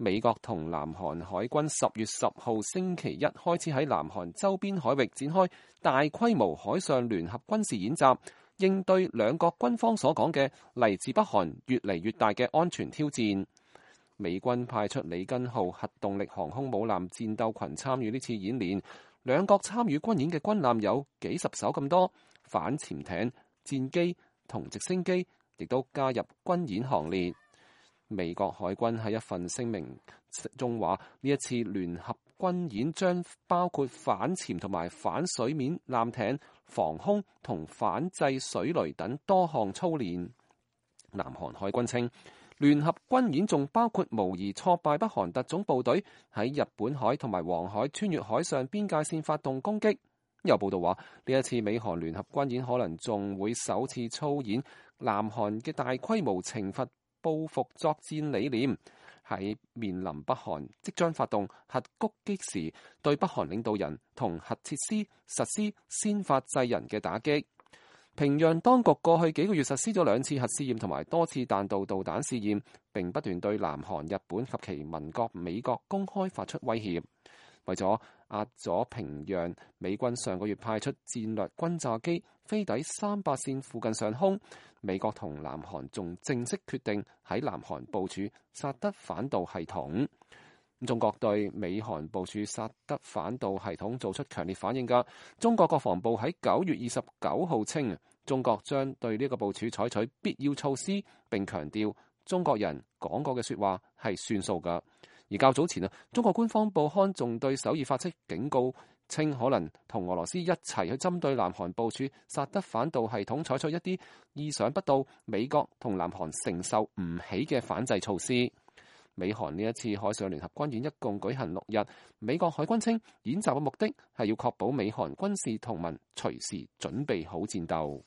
美國同南韓海軍10月10號星期一開始喺南韓周邊海域展開大規模海上聯合軍事演習，應對兩國軍方所講嘅嚟自北韓越嚟越大嘅安全挑戰。美軍派出里根號核動力航空母艦戰鬥群參與呢次演練，兩國參與軍演嘅軍艦有幾十艘咁多，反潛艇、戰機同直升機亦都加入軍演行列。美國海軍喺一份聲明中話，呢一次聯合軍演將包括反潛同埋反水面艦艇、防空同反制水雷等多項操練。南韓海軍稱，聯合軍演仲包括模擬挫敗北韓特種部隊喺日本海同埋黃海穿越海上邊界線發動攻擊。有報道話，呢一次美韓聯合軍演可能仲會首次操演南韓嘅大規模懲罰報復作戰理念，喺面臨北韓即將發動核攻擊時，對北韓領導人同核設施實施先發制人嘅打擊。平壤當局過去幾個月實施咗2次核試驗同埋多次彈道導彈試驗，並不斷對南韓、日本及其盟國美國公開發出威脅。為咗壓咗平壤，美軍上個月派出戰略轟炸機飛抵300線附近上空。美國同南韓仲正式決定喺南韓部署薩德反導系統。中國對美韓部署薩德反導系統做出強烈反應㗎。中國國防部喺9月29號稱，中國將對呢個部署採取必要措施，並強調中國人講過嘅説話係算數㗎。而較早前中國官方報刊仲對首爾發出警告，稱可能同俄羅斯一齊去針對南韓部署薩德反導系統採取一啲意想不到、美國同南韓承受唔起嘅反制措施。美韓呢一次海上聯合軍演一共舉行6日，美國海軍稱演習嘅目的係要確保美韓軍事同盟隨時準備好戰鬥。